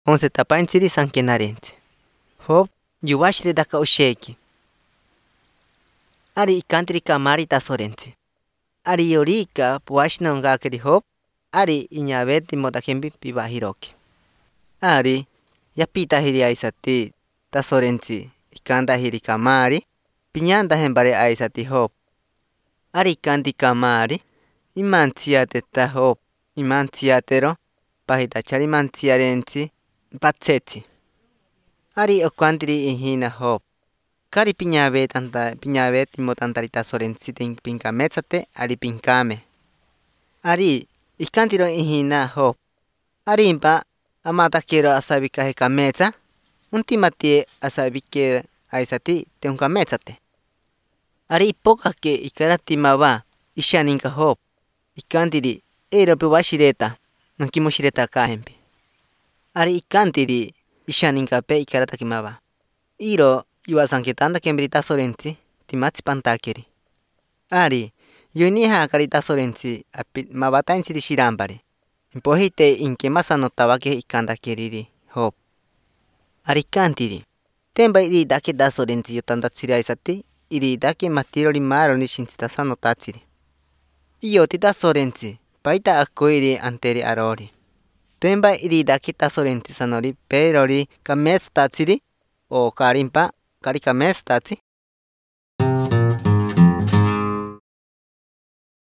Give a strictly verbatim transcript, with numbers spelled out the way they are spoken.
once tapainchiri sankenarenchi. Job yuwashri daka usheki. Ari ikantri kamari tasorenchi. Ari yorika puashno ngakri Job. Ari iñabeti motajembi pibahiroki. Ari yapita hiri aisati tasorenchi ikanta hiri kamari. Piñanta hembare aisati Job. Ari kanti kamari imantiate ta Job. Imantiatero pahitachari mantiarenchi patsechi. Ari okwantiri ihina Job. Kari piñabet anta piñabet motantari tasorenchi tin pinkametsate ari pinkame. Ari ikantiro ihina Job. Ari impa amata quiero asabikaje kametsa. Untimati asabike aisati te unkametsate. Ari ipoka ke ikarati maba ishaninka Job. Ikantiri ero pewashireta nonkimushireta kahempi. Ari ikantiri ishaninka pe ikarata kimaba. Iro yuasanketanda kembrita sorenchi timatsi pantakeri. Ari yuniha karita sorenchi mabata insiri shirampari. Impohite inkemasa notawake ikanda keriri Job. Ari kantiri temba iri dake da sorenchi yotandatsiri aisati iri dake matiro rimaro ni shintsitasa notatsiri. Iyo tita sorenchi paita akoiri anteri arori. Temba iri dake ta sorenchi sanori perori kames tatsiri o karimpa kari kames tatsi.